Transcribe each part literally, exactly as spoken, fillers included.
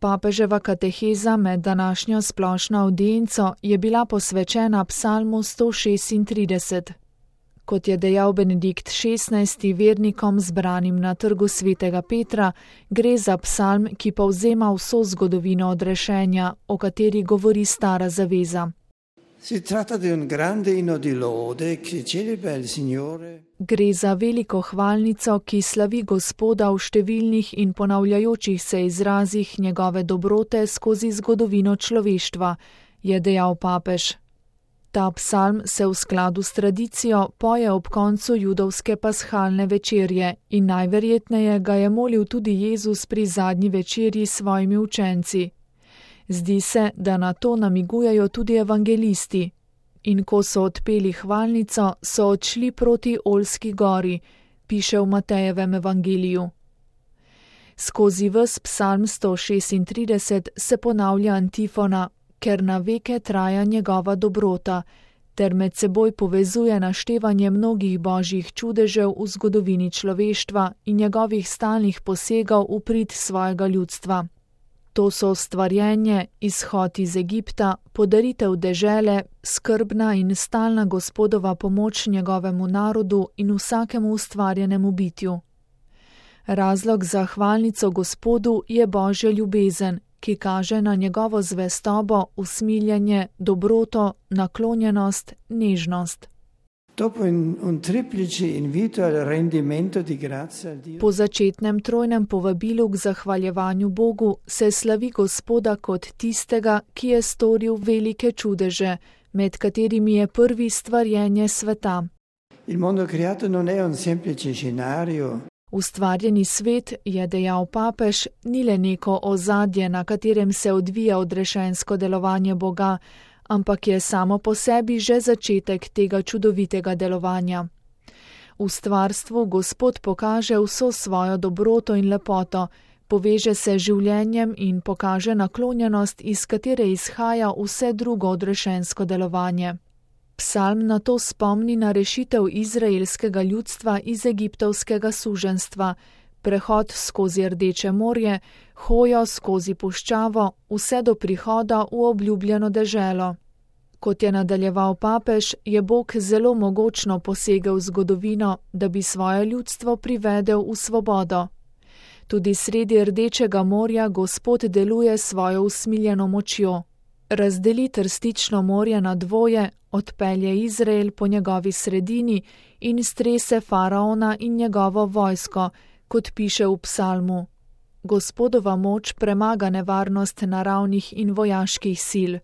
Papeževa kateheza med današnjo splošno avdienco je bila posvečena psalmu sto šestintrideset. Kot je dejal Benedikt šestnajsti vernikom zbranim na trgu svetega Petra, gre za psalm, ki povzema vso zgodovino odrešenja, o kateri govori Stara zaveza. Gre za veliko hvalnico, ki slavi Gospoda v številnih in ponavljajočih se izrazih njegove dobrote skozi zgodovino človeštva, je dejal papež. Ta psalm se v skladu s tradicijo poje ob koncu judovske pashalne večerje in najverjetneje ga je molil tudi Jezus pri zadnji večerji s svojimi učenci. Zdi se, da na to namigujejo tudi evangelisti. In ko so odpeli hvalnico, so odšli proti Olski gori, piše v Matejevem evangeliju. Skozi ves psalm sto šestintrideset se ponavlja antifona, ker na veke traja njegova dobrota, ter med seboj povezuje naštevanje mnogih božjih čudežev v zgodovini človeštva in njegovih stalnih posegov v prid svojega ljudstva. To so stvarjenje, izhod iz Egipta, podaritev dežele, skrbna in stalna Gospodova pomoč njegovemu narodu in vsakemu ustvarjenemu bitju. Razlog za hvalnico Gospodu je božja ljubezen, ki kaže na njegovo zvestobo, usmiljenje, dobroto, naklonjenost, nežnost. Po začetnem trojnem povabilu k zahvaljevanju Bogu se slavi Gospoda kot tistega, ki je storil velike čudeže, med katerimi je prvi stvarjenje sveta. Ustvarjeni svet, je dejal papež, ni le neko ozadje, na katerem se odvija odrešensko delovanje Boga, ampak je samo po sebi že začetek tega čudovitega delovanja. V stvarstvu Gospod pokaže vso svojo dobroto in lepoto, poveže se življenjem in pokaže naklonjenost, iz katere izhaja vse drugo odrešensko delovanje. Psalm na to spomni na rešitev izraelskega ljudstva iz egiptovskega suženjstva, prehod skozi Rdeče morje, hojo skozi puščavo, vse do prihoda v obljubljeno deželo. Kot je nadaljeval papež, je Bog zelo mogočno posegel v zgodovino, da bi svoje ljudstvo privedel v svobodo. Tudi sredi Rdečega morja Gospod deluje svojo usmiljeno močjo. Razdeli Trstično morje na dvoje, odpelje Izrael po njegovi sredini in strese faraona in njegovo vojsko, kot piše v psalmu. Gospodova moč premaga nevarnost naravnih in vojaških sil.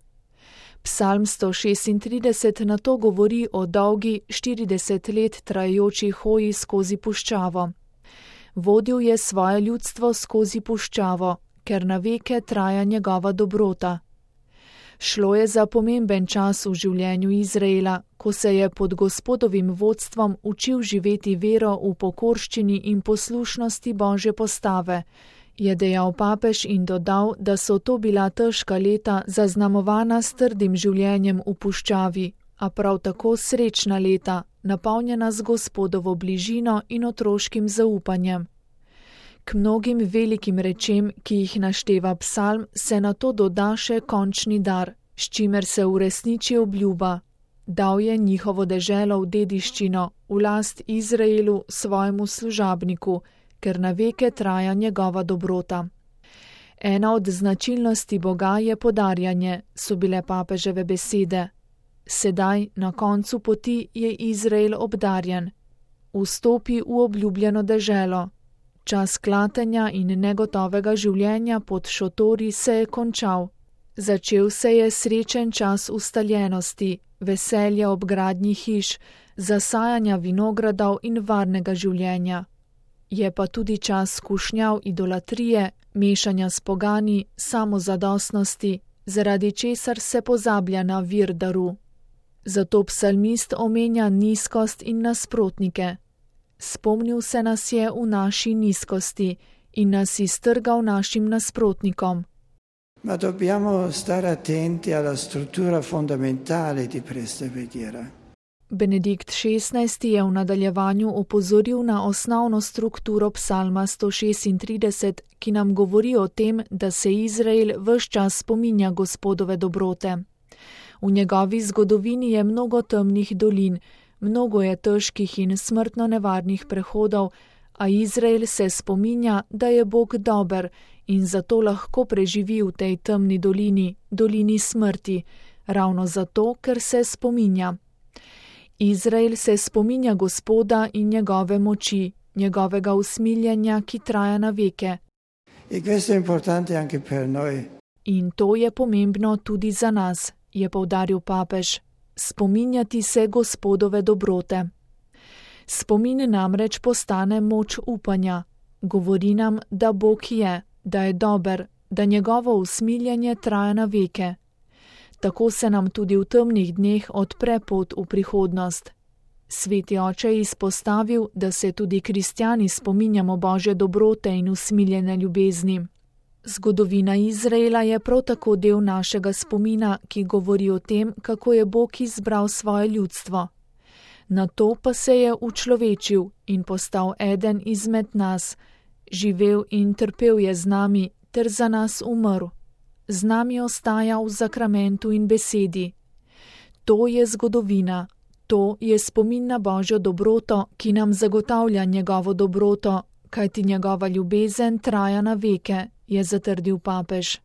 Psalm sto šestintrideset na to govori o dolgi štirideset let trajajoči hoji skozi puščavo. Vodil je svoje ljudstvo skozi puščavo, ker na veke traja njegova dobrota. Šlo je za pomemben čas v življenju Izraela, ko se je pod Gospodovim vodstvom učil živeti vero v pokorščini in poslušnosti Božje postave, je dejal papež in dodal, da so to bila težka leta zaznamovana s trdim življenjem v puščavi, a prav tako srečna leta, napolnjena z Gospodovo bližino in otroškim zaupanjem. K mnogim velikim rečem, ki jih našteva psalm, se na to doda še končni dar, s čimer se uresniči obljuba. Dal je njihovo deželo v dediščino, v last Izraelu, svojemu služabniku, ker na veke traja njegova dobrota. Ena od značilnosti Boga je podarjanje, so bile papeževe besede. Sedaj, na koncu poti, je Izrael obdarjen. Vstopi v obljubljeno deželo. Čas klatenja in negotovega življenja pod šotori se je končal. Začel se je srečen čas ustaljenosti, veselja ob gradnji hiš, zasajanja vinogradov in varnega življenja. Je pa tudi čas skušnjav idolatrije, mešanja s pogani, samozadostnosti, zaradi česar se pozablja na vir daru. Zato psalmist omenja nizkost in nasprotnike. Spomnil se nas je v naši nizkosti in nas iztrgal našim nasprotnikom. Ma dobbiamo stare attenti alla struttura fondamentale di questa preghiera. Benedikt šestnajsti je v nadaljevanju opozoril na osnovno strukturo psalma sto šestintrideset, ki nam govori o tem, da se Izrael ves čas spominja Gospodove dobrote. V njegovi zgodovini je mnogo temnih dolin, mnogo je težkih in smrtno nevarnih prehodov, a Izrael se spominja, da je Bog dober in zato lahko preživi v tej temni dolini, dolini smrti, ravno zato, ker se spominja. Izrael se spominja Gospoda in njegove moči, njegovega usmiljenja, ki traja na veke. In to je pomembno tudi za nas, je poudaril papež, spominjati se Gospodove dobrote. Spomin namreč postane moč upanja, govori nam, da Bog je, da je dober, da njegovo usmiljenje traja na veke. Tako se nam tudi v temnih dneh odpre pot v prihodnost. Sveti oče je izpostavil, da se tudi kristjani spominjamo Božje dobrote in usmiljene ljubezni. Zgodovina Izraela je prav tako del našega spomina, ki govori o tem, kako je Bog izbral svoje ljudstvo. Nato pa se je učlovečil in postal eden izmed nas, živel in trpel je z nami ter za nas umrl. Z nami ostaja v zakramentu in besedi. To je zgodovina, to je spomin na Božjo dobroto, ki nam zagotavlja njegovo dobroto, kajti njegova ljubezen traja na veke, je zatrdil papež.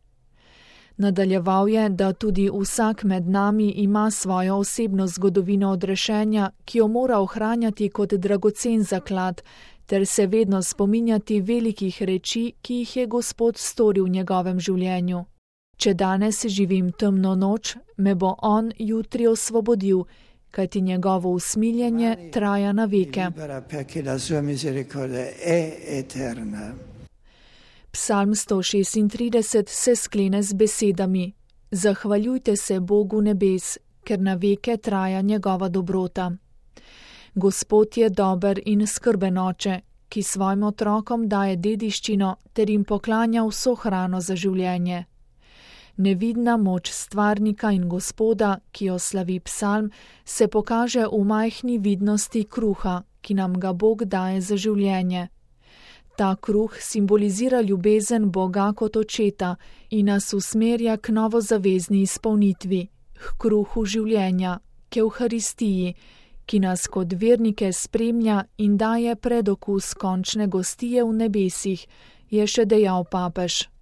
Nadaljeval je, da tudi vsak med nami ima svojo osebno zgodovino odrešenja, ki jo mora ohranjati kot dragocen zaklad, ter se vedno spominjati velikih reči, ki jih je Gospod storil v njegovem življenju. Če danes živim temno noč, me bo on jutri osvobodil, kajti njegovo usmiljenje traja na veke. Psalm sto šestintrideset se sklene z besedami: Zahvaljujte se Bogu nebes, ker na veke traja njegova dobrota. Gospod je dober in skrben oče, ki svojim otrokom daje dediščino ter jim poklanja vso hrano za življenje. Nevidna moč stvarnika in Gospoda, ki jo slavi psalm, se pokaže v majhni vidnosti kruha, ki nam ga Bog daje za življenje. Ta kruh simbolizira ljubezen Boga kot očeta in nas usmerja k novozavezni izpolnitvi, k kruhu življenja, k Evharistiji, ki nas kot vernike spremlja in daje predokus končne gostije v nebesih, je še dejal papež.